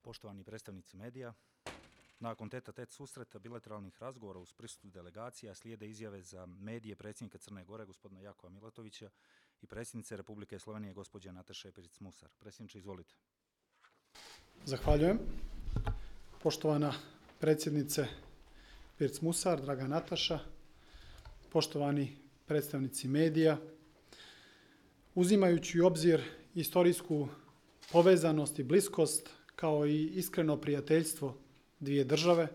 Poštovani predstavnici medija, nakon tete-a-tete susreta bilateralnih razgovora uz prisustvu delegacija slijede izjave za medije predsjednika Crne Gore, gospodina Jakova Milatovića, i predsjednice Republike Slovenije, gospođe Nataše Pirc-Musar. Predsjedniče, izvolite. Zahvaljujem. Poštovana predsjednice Pirc-Musar, draga Nataša, poštovani predstavnici medija, uzimajući u obzir istorijsku povezanost i bliskost, kao i iskreno prijateljstvo dvije države,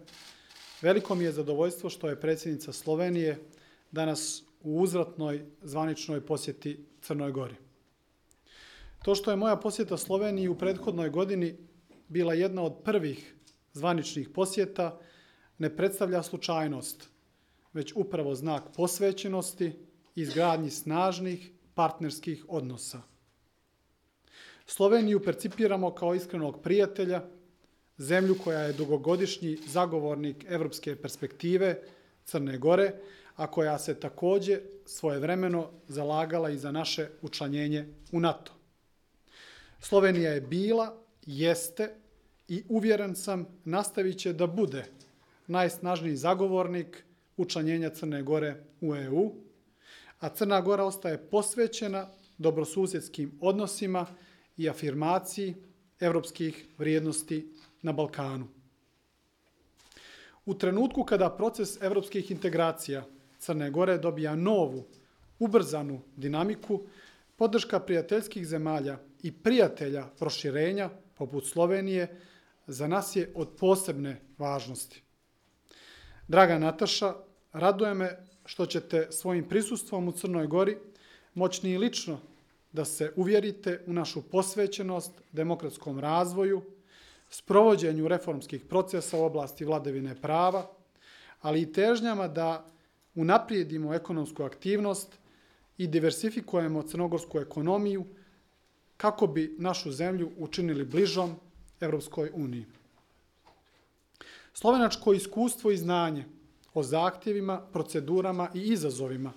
veliko mi je zadovoljstvo što je predsjednica Slovenije danas u uzvratnoj zvaničnoj posjeti Crnoj Gori. To što je moja posjeta Sloveniji u prethodnoj godini bila jedna od prvih zvaničnih posjeta ne predstavlja slučajnost, već upravo znak posvećenosti i izgradnji snažnih partnerskih odnosa. Sloveniju percipiramo kao iskrenog prijatelja, zemlju koja je dugogodišnji zagovornik evropske perspektive Crne Gore, a koja se također svojevremeno zalagala i za naše učlanjenje u NATO. Slovenija je bila, jeste i uvjeren sam nastavit će da bude najsnažniji zagovornik učlanjenja Crne Gore u EU, a Crna Gora ostaje posvećena dobrosusjedskim odnosima i afirmaciji evropskih vrijednosti na Balkanu. U trenutku kada proces evropskih integracija Crne Gore dobija novu, ubrzanu dinamiku, podrška prijateljskih zemalja i prijatelja proširenja, poput Slovenije, za nas je od posebne važnosti. Draga Nataša, raduje me što ćete svojim prisustvom u Crnoj Gori moćni i lično da se uvjerite u našu posvećenost demokratskom razvoju, sprovođenju reformskih procesa u oblasti vladavine prava, ali i težnjama da unaprijedimo ekonomsku aktivnost i diversifikujemo crnogorsku ekonomiju kako bi našu zemlju učinili bližom Evropskoj uniji. Slovenačko iskustvo i znanje o zahtjevima, procedurama i izazovima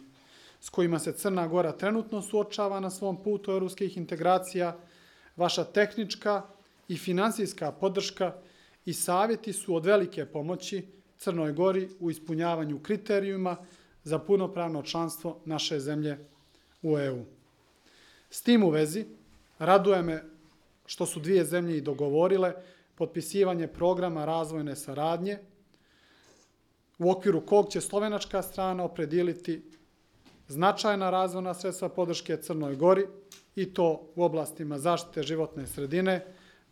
s kojima se Crna Gora trenutno suočava na svom putu evropskih integracija, vaša tehnička i finansijska podrška i savjeti su od velike pomoći Crnoj Gori u ispunjavanju kriterijuma za punopravno članstvo naše zemlje u EU. S tim u vezi, raduje me što su dvije zemlje i dogovorile potpisivanje programa razvojne saradnje, u okviru kog će slovenačka strana opredijeliti značajna razvojna sredstva podrške Crnoj Gori i to u oblastima zaštite životne sredine,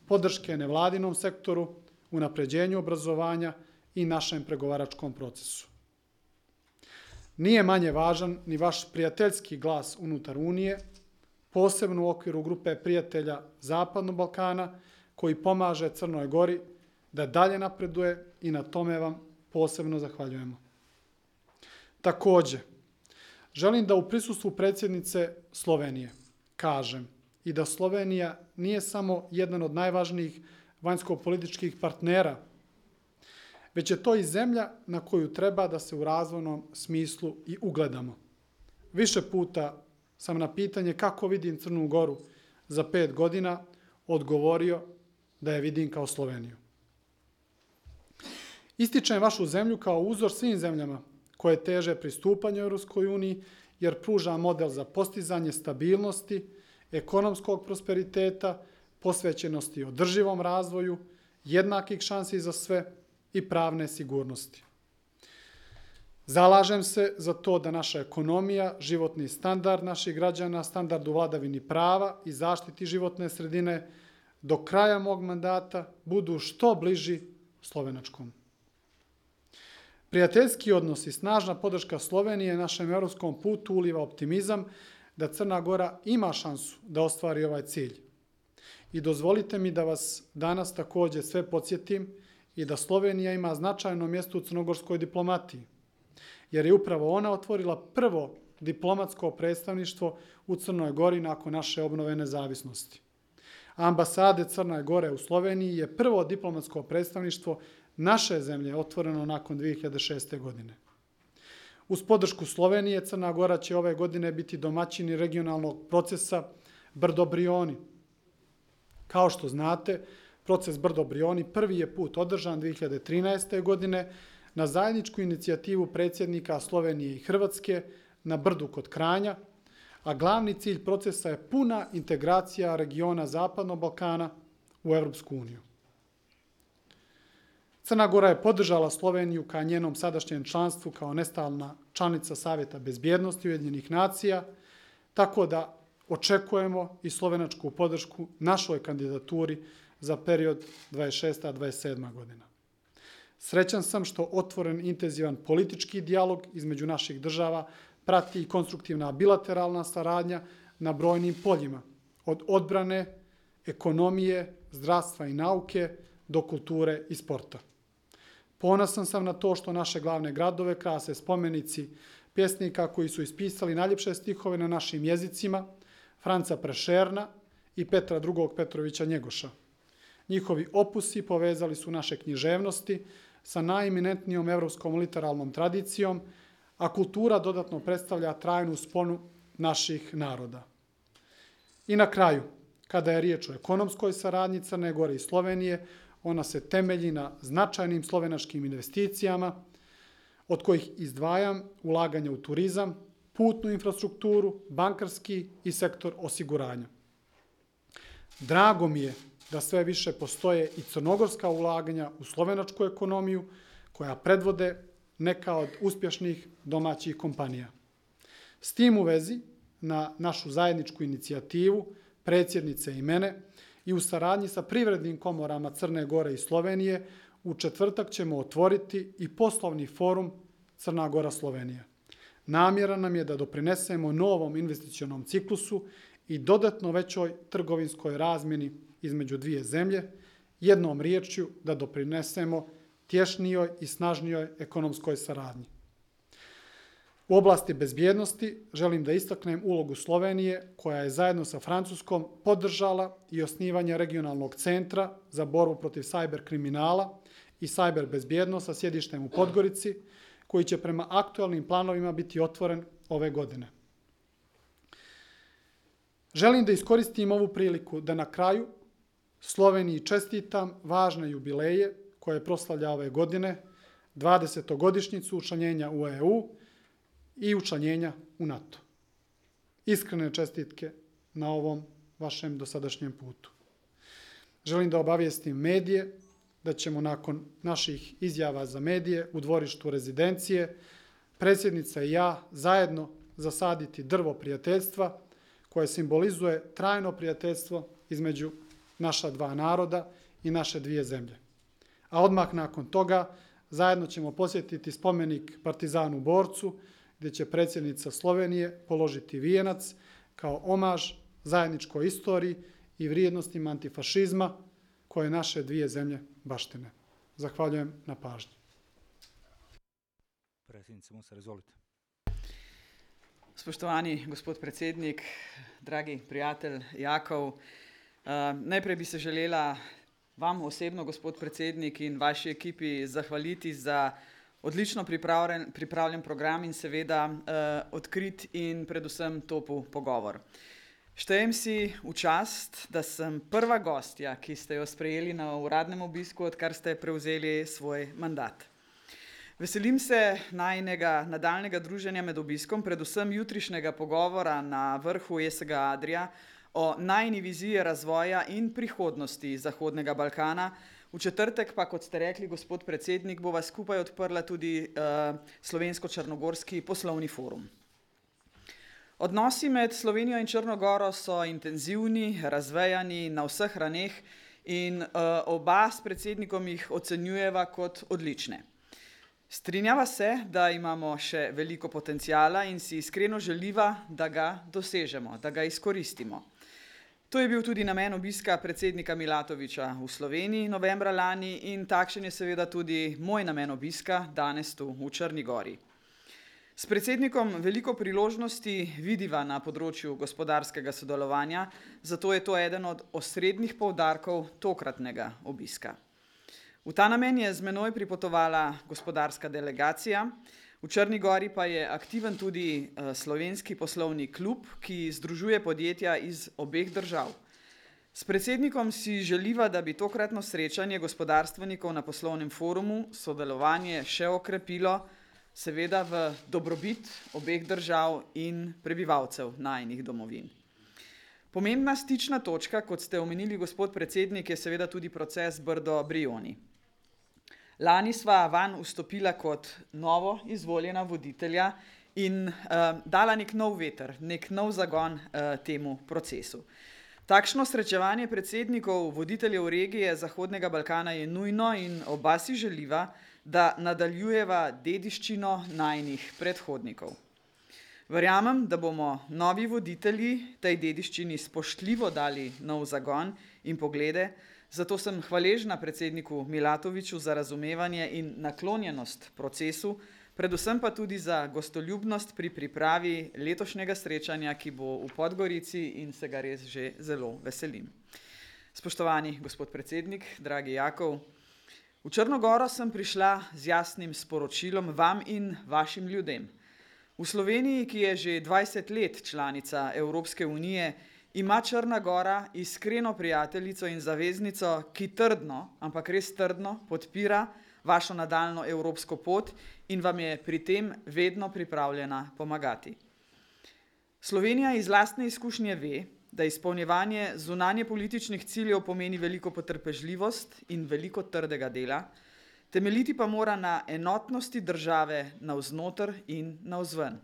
podrške nevladinom sektoru, unapređenju obrazovanja i našem pregovaračkom procesu. Nije manje važan ni vaš prijateljski glas unutar Unije, posebno u okviru grupe prijatelja Zapadnog Balkana, koji pomaže Crnoj Gori da dalje napreduje i na tome vam posebno zahvaljujemo. Također, želim da u prisustvu predsjednice Slovenije kažem i da Slovenija nije samo jedan od najvažnijih vanjsko-političkih partnera, već je to i zemlja na koju treba da se u razvojnom smislu i ugledamo. Više puta sam na pitanje kako vidim Crnu Goru za 5 godina odgovorio da je vidim kao Sloveniju. Ističem vašu zemlju kao uzor svim zemljama koje teže pristupanju Europskoj uniji, jer pruža model za postizanje stabilnosti, ekonomskog prosperiteta, posvećenosti održivom razvoju, jednakih šansi za sve i pravne sigurnosti. Zalažem se za to da naša ekonomija, životni standard naših građana, standard u vladavini prava i zaštiti životne sredine do kraja mog mandata budu što bliži slovenačkom. Prijateljski odnos i snažna podrška Slovenije našem europskom putu uliva optimizam da Crna Gora ima šansu da ostvari ovaj cilj. I dozvolite mi da vas danas također sve podsjetim i da Slovenija ima značajno mjesto u crnogorskoj diplomatiji, jer je upravo ona otvorila prvo diplomatsko predstavništvo u Crnoj Gori nakon naše obnove nezavisnosti. Ambasade Crne Gore u Sloveniji je prvo diplomatsko predstavništvo naše zemlje otvoreno nakon 2006. godine. Uz podršku Slovenije, Crna Gora će ove godine biti domaćini regionalnog procesa Brdo Brioni. Kao što znate, Proces Brdo-Brioni prvi je put održan 2013. godine na zajedničku inicijativu predsjednika Slovenije i Hrvatske na Brdu kod Kranja, a glavni cilj procesa je puna integracija regiona Zapadnog Balkana u Europsku uniju. Crna Gora je podržala Sloveniju ka njenom sadašnjem članstvu kao nestalna članica Savjeta bezbjednosti Ujedinjenih nacija, tako da očekujemo i slovenačku podršku našoj kandidaturi za period 26-27 godina. Srećan sam što otvoren intenzivan politički dijalog između naših država prati i konstruktivna bilateralna saradnja na brojnim poljima, od odbrane, ekonomije, zdravstva i nauke do kulture i sporta. Ponosan sam na to što naše glavne gradove krase spomenici pjesnika koji su ispisali najljepše stihove na našim jezicima, Franca Prešerna i Petra II. Petrovića Njegoša. Njihovi opusi povezali su naše književnosti sa najeminentnijom evropskom literalnom tradicijom, a kultura dodatno predstavlja trajnu sponu naših naroda. I na kraju, kada je riječ o ekonomskoj saradnji Crne Gore i Slovenije, ona se temelji na značajnim slovenačkim investicijama, od kojih izdvajam ulaganje u turizam, putnu infrastrukturu, bankarski i sektor osiguranja. Drago mi je da sve više postoje i crnogorska ulaganja u slovenačku ekonomiju, koja predvode neka od uspješnih domaćih kompanija. S tim u vezi, na našu zajedničku inicijativu, predsjednice i mene, i u saradnji sa privrednim komorama Crne Gore i Slovenije, u četvrtak ćemo otvoriti i poslovni forum Crna Gora Slovenija. Namjera nam je da doprinesemo novom investicionom ciklusu i dodatno većoj trgovinskoj razmjeni između dvije zemlje, jednom riječju da doprinesemo tješnijoj i snažnijoj ekonomskoj saradnji. U oblasti bezbjednosti želim da istaknem ulogu Slovenije, koja je zajedno sa Francuskom podržala i osnivanje regionalnog centra za borbu protiv sajber kriminala i sajber bezbjednost sa sjedištem u Podgorici, koji će prema aktualnim planovima biti otvoren ove godine. Želim da iskoristim ovu priliku da na kraju Sloveniji čestitam važne jubileje koje proslavlja ove godine, 20. učlanjenja u EU i učlanjenja u NATO. Iskrene čestitke na ovom vašem dosadašnjem putu. Želim da obavijestim medije da ćemo nakon naših izjava za medije u dvorištu rezidencije predsjednica i ja zajedno zasaditi drvo prijateljstva koje simbolizuje trajno prijateljstvo između naša dva naroda i naše dvije zemlje. A odmah nakon toga zajedno ćemo posjetiti spomenik Partizanu borcu, gdje će predsjednica Slovenije položiti vijenac kao omaž zajedničkoj istoriji i vrijednostima antifašizma koje naše dvije zemlje baštine. Zahvaljujem na pažnji. Predsjednice Musar, izvolite. Spoštovani gospod predsednik, dragi prijatelj Jakov, najprej bi se želela vam osebno, gospod predsednik, in vaši ekipi zahvaliti za odlično pripravljen program in seveda odkrit in predvsem topel pogovor. Štejem si v čast, da sem prva gostja, ki ste jo sprejeli na uradnem obisku, odkar ste prevzeli svoj mandat. Veselim se najinega nadaljnega druženja med obiskom, predvsem jutrišnjega pogovora na vrhu ESG Adria o najini viziji razvoja in prihodnosti Zahodnega Balkana. V četrtek pa, kot ste rekli, gospod predsednik, bova skupaj odprla tudi Slovensko-Črnogorski poslovni forum. Odnosi med Slovenijo in Črno Goro so intenzivni, razvejani na vseh raneh in oba s predsednikom jih ocenjujeva kot odlične. Strinjava se, da imamo še veliko potencijala in si iskreno želiva, da ga dosežemo, da ga izkoristimo. To je bil tudi namen obiska predsednika Milatovića v Sloveniji novembra lani in takšen je seveda tudi moj namen obiska danes tu v Črni Gori. S predsednikom veliko priložnosti vidiva na področju gospodarskega sodelovanja, zato je to eden od osrednjih poudarkov tokratnega obiska. V ta namen je z menoj pripotovala gospodarska delegacija, v Črni Gori pa je aktiven tudi slovenski poslovni klub, ki združuje podjetja iz obeh držav. S predsednikom si želiva, da bi tokratno srečanje gospodarstvenikov na poslovnem forumu sodelovanje še okrepilo, seveda v dobrobit obeh držav in prebivalcev najnih domovin. Pomembna stična točka, kot ste omenili, gospod predsednik, je seveda tudi proces Brdo-Brioni. Lani sva vanj vstopila kot novo izvoljena voditelja in dala nek nov veter, nek nov zagon temu procesu. Takšno srečevanje predsednikov voditeljev regije Zahodnega Balkana je nujno in oba si želiva, da nadaljujeva dediščino najnih predhodnikov. Verjamem, da bomo novi voditelji tej dediščini spoštljivo dali nov zagon in poglede, zato sem hvaležna predsedniku Milatoviću za razumevanje in naklonjenost procesu, predvsem pa tudi za gostoljubnost pri pripravi letošnjega srečanja, ki bo v Podgorici in se ga res že zelo veselim. Spoštovani gospod predsednik, dragi Jakov, v Črno goro sem prišla z jasnim sporočilom vam in vašim ljudem. V Sloveniji, ki je že 20 let članica Evropske unije, ima Črna gora iskreno prijateljico in zaveznico, ki trdno, ampak res trdno podpira vašo nadaljnjo evropsko pot in vam je pri tem vedno pripravljena pomagati. Slovenija iz lastne izkušnje ve, da izpolnjevanje zunanje političnih ciljev pomeni veliko potrpežljivost in veliko trdega dela, temeljiti pa mora na enotnosti države navznoter in navzven.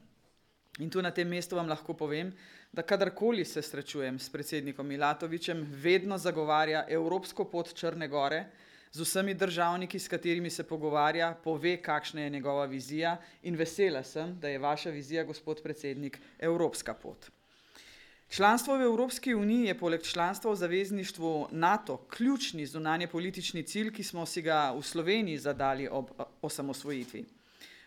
In tu na tem mestu vam lahko povem, da kadarkoli se srečujem s predsednikom Milatovićem, vedno zagovarja evropsko pot Črne gore, z vsemi državniki, s katerimi se pogovarja, pove, kakšna je njegova vizija in vesela sem, da je vaša vizija, gospod predsednik, evropska pot. Članstvo v Evropski uniji je poleg članstva v zavezništvu NATO ključni zunanje politični cilj, ki smo si ga v Sloveniji zadali ob osamosvojitvi.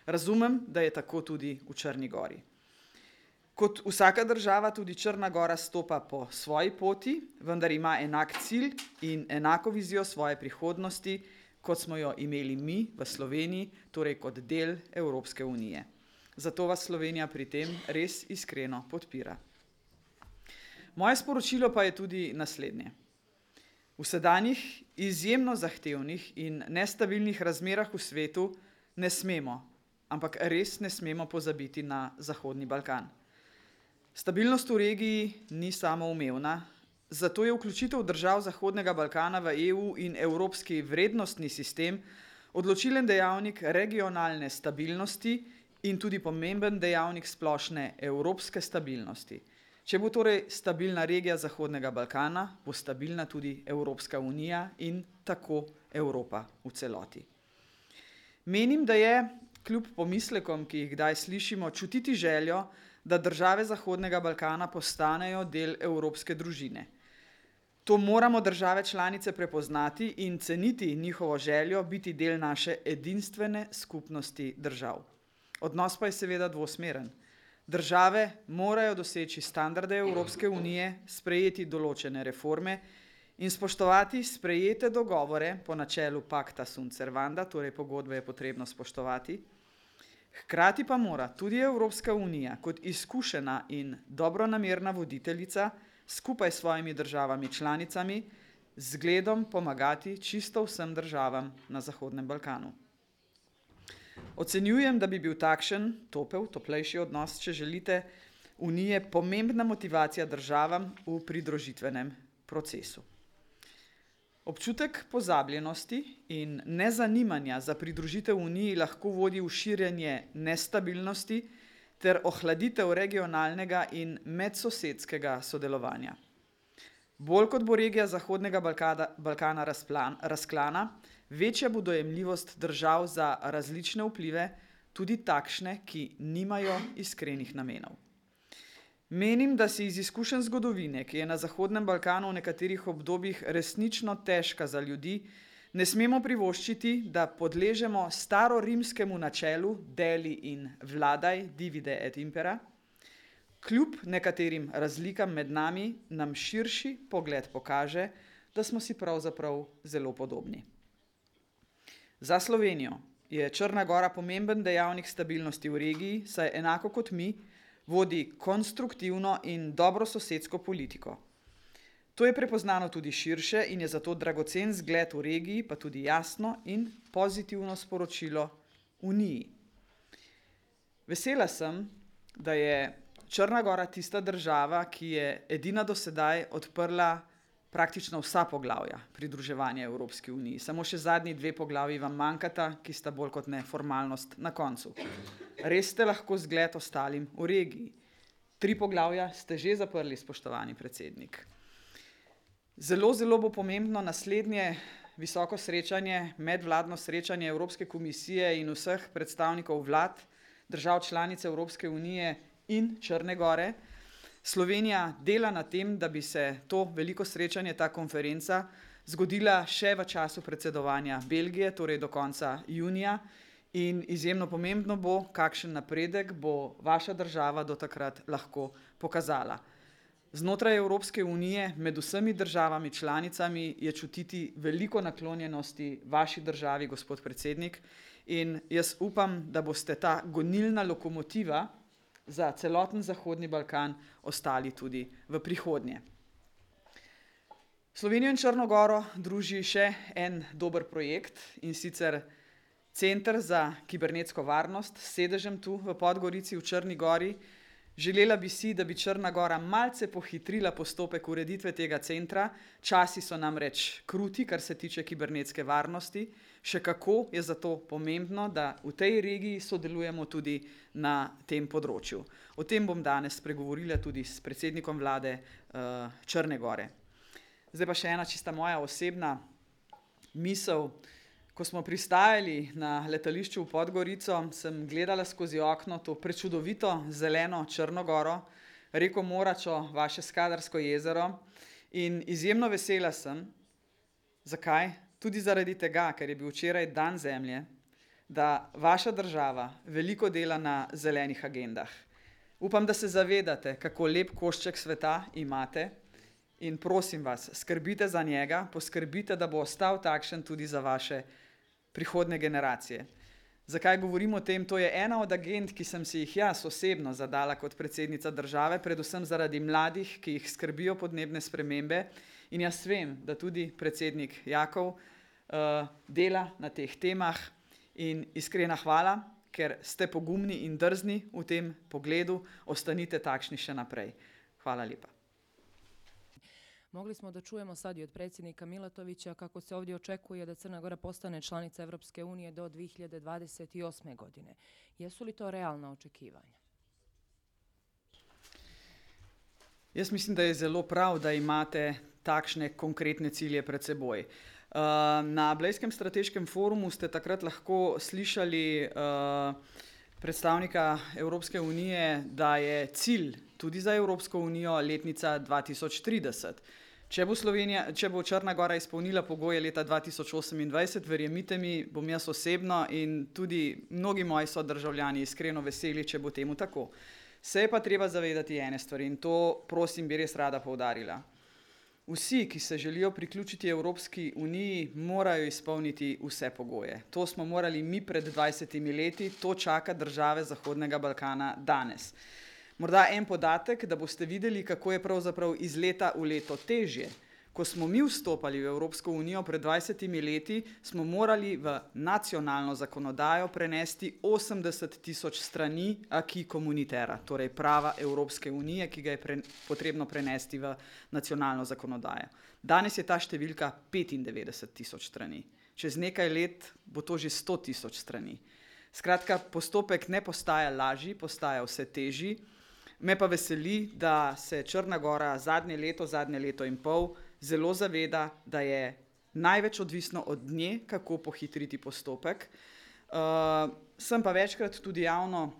Razumem, da je tako tudi v Črni gori. Kot vsaka država tudi Črna gora stopa po svoji poti, vendar ima enak cilj in enako vizijo svoje prihodnosti, kot smo jo imeli mi v Sloveniji, torej kot del Evropske unije. Zato vas Slovenija pri tem res iskreno podpira. Moje sporočilo pa je tudi naslednje. V sedanjih izjemno zahtevnih in nestabilnih razmerah v svetu ne smemo, ampak res ne smemo pozabiti na Zahodni Balkan. Stabilnost v regiji ni samoumevna, zato je vključitev držav Zahodnega Balkana v EU in evropski vrednostni sistem odločilen dejavnik regionalne stabilnosti in tudi pomemben dejavnik splošne evropske stabilnosti. Če bo torej stabilna regija Zahodnega Balkana, bo stabilna tudi Evropska unija in tako Evropa v celoti. Menim, da je, kljub pomislekom, ki jih kdaj slišimo, čutiti željo, da države Zahodnega Balkana postanejo del evropske družine. To moramo države članice prepoznati in ceniti njihovo željo biti del naše edinstvene skupnosti držav. Odnos pa je seveda dvosmeren. Države morajo doseči standarde Evropske unije, sprejeti določene reforme in spoštovati sprejete dogovore po načelu pacta sunt servanda, torej pogodbe je potrebno spoštovati. Hkrati pa mora tudi Evropska unija kot izkušena in dobronamerna voditeljica skupaj s svojimi državami članicami z zgledom pomagati čisto vsem državam na Zahodnem Balkanu. Ocenjujem, da bi bil takšen toplejši odnos, če želite, Unije pomembna motivacija državam v pridružitvenem procesu. Občutek pozabljenosti in nezanimanja za pridružitev Uniji lahko vodi v širjenje nestabilnosti ter ohladitev regionalnega in medsosedskega sodelovanja. Bolj kot bo regija Zahodnega Balkana razklana, večja bo dojemljivost držav za različne vplive, tudi takšne, ki nimajo iskrenih namenov. Menim, da si iz izkušenj zgodovine, ki je na Zahodnem Balkanu v nekaterih obdobjih resnično težka za ljudi, ne smemo privoščiti, da podležemo starorimskemu načelu deli in vladaj, divide et impera. Kljub nekaterim razlikam med nami, nam širši pogled pokaže, da smo si pravzaprav zelo podobni. Za Slovenijo je Črna gora pomemben dejavnik stabilnosti v regiji, saj enako kot mi vodi konstruktivno in dobrososedsko politiko. To je prepoznano tudi širše in je zato dragocen zgled v regiji, pa tudi jasno in pozitivno sporočilo Uniji. Vesela sem, da je Črna Gora tista država, ki je edina do sedaj odprla praktično vsa poglavja pridruževanja Evropski uniji. Samo še zadnji 2 poglavji vam manjkata, ki sta bolj kot ne formalnost na koncu. Res ste lahko zgled ostalim v regiji. 3 poglavja ste že zaprli, spoštovani predsednik. Zelo bo pomembno naslednje visoko srečanje, medvladno srečanje Evropske komisije in vseh predstavnikov vlad, držav članic Evropske unije in Črne Gore. Slovenija dela na tem, da bi se to veliko srečanje, ta konferenca, zgodila še v času predsedovanja Belgije, torej do konca junija. In izjemno pomembno bo, kakšen napredek bo vaša država do takrat lahko pokazala. Znotraj Evropske unije, med vsemi državami članicami, je čutiti veliko naklonjenosti vaši državi, gospod predsednik, in jaz upam, da boste ta gonilna lokomotiva za celoten Zahodni Balkan ostali tudi v prihodnje. Slovenijo in Črno Goro druži še en dober projekt, in sicer Center za kibernetsko varnost s sedežem tu v Podgorici v Črni Gori. Želela bi si, da bi Črna Gora malce pohitrila postopek ureditve tega centra. Časi so namreč kruti, kar se tiče kibernetske varnosti. Še kako je zato pomembno, da v tej regiji sodelujemo tudi na tem področju. O tem bom danes spregovorila tudi s predsednikom vlade Črne Gore. Zdaj pa še ena čista moja osebna misel. Ko smo pristajali na letališču v Podgorico, sem gledala skozi okno to prečudovito zeleno Črno Goro, reko Moračo, vaše Skadarsko jezero, in izjemno vesela sem. Zakaj? Tudi zaradi tega, ker je bil včeraj dan zemlje, da vaša država veliko dela na zelenih agendah. Upam, da se zavedate, kako lep košček sveta imate, in prosim vas, skrbite za njega, poskrbite, da bo ostal takšen tudi za vaše prihodne generacije. Zakaj govorim o tem? To je ena od agend, ki sem si jih jaz osebno zadala kot predsednica države, predvsem zaradi mladih, ki jih skrbijo podnebne spremembe, in jaz vem, da tudi predsednik Jakov dela na teh temah, in iskrena hvala, ker ste pogumni in drzni v tem pogledu, ostanite takšni še naprej. Hvala lepa. Mogli smo da čujemo sad i od predsjednika Milatovića kako se ovdje očekuje da Crna Gora postane članica Evropske unije do 2028. godine. Jesu li to realna očekivanja? Jaz mislim, da je zelo prav, da imate takšne konkretne cilje pred seboj. Na Blejskem strateškem forumu ste takrat lahko slišali predstavnika Evropske unije, da je cilj tudi za Evropsko unijo letnica 2030. Če bo Črna Gora izpolnila pogoje leta 2028, verjemite mi, bom jaz osebno in tudi mnogi moji sodržavljani iskreno veseli, če bo temu tako. Se je pa treba zavedati ene stvari, in to, prosim, bi res rada poudarila. Vsi, ki se želijo priključiti Evropski uniji, morajo izpolniti vse pogoje. To smo morali mi pred 20 leti, to čaka države Zahodnega Balkana danes. Morda en podatek, da boste videli, kako je pravzaprav iz leta v leto težje. Ko smo mi vstopali v Evropsko unijo pred 20 leti, smo morali v nacionalno zakonodajo prenesti 80.000 strani acquis communautaire, torej prava Evropske unije, ki ga je potrebno prenesti v nacionalno zakonodajo. Danes je ta številka 95.000 strani. Čez nekaj let bo to že 100.000 strani. Skratka, postopek ne postaja lažji, postaja vse težji. Me pa veseli, da se Črna Gora zadnje leto in pol zelo zaveda, da je največ odvisno od nje, kako pohitriti postopek. Sem pa večkrat tudi javno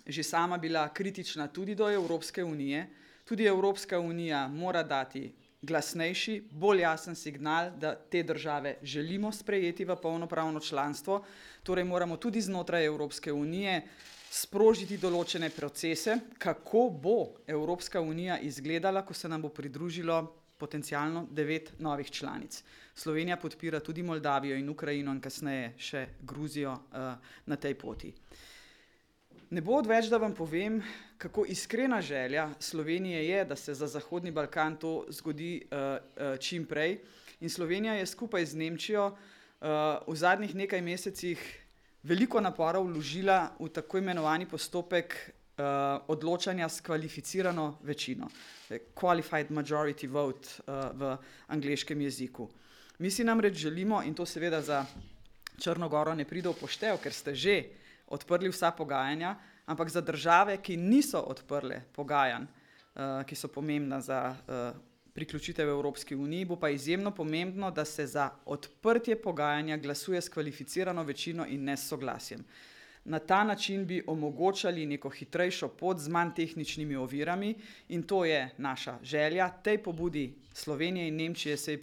že sama bila kritična tudi do Evropske unije. Tudi Evropska unija mora dati glasnejši, bolj jasen signal, da te države želimo sprejeti v polnopravno članstvo. Torej moramo tudi znotraj Evropske unije sprožiti določene procese, kako bo Evropska unija izgledala, ko se nam bo pridružilo potencialno 9 novih članic. Slovenija podpira tudi Moldavijo in Ukrajino in kasneje še Gruzijo na tej poti. Ne bo odveč, da vam povem, kako iskrena želja Slovenije je, da se za Zahodni Balkan to zgodi čim prej. In Slovenija je skupaj z Nemčijo v zadnjih nekaj mesecih veliko napora vložila v tako imenovani postopek odločanja s kvalificirano večino. Qualified majority vote v angleškem jeziku. Mi si namreč želimo, in to seveda za Črno Goro ne pride v poštev, ker ste že odprli vsa pogajanja, ampak za države, ki niso odprle pogajanj, ki so pomembna za priključitev Evropski uniji, bo pa izjemno pomembno, da se za odprtje pogajanja glasuje s kvalificirano večino in ne s soglasjem. Na ta način bi omogočali neko hitrejšo pot z manj tehničnimi ovirami in to je naša želja. Tej pobudi Slovenije in Nemčije se je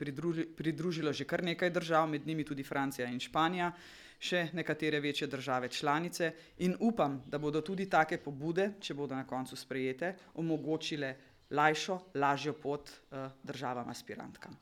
pridružilo že kar nekaj držav, med njimi tudi Francija in Španija, še nekatere večje države članice in upam, da bodo tudi take pobude, če bodo na koncu sprejete, omogočile lažjo pot državam aspirantkam.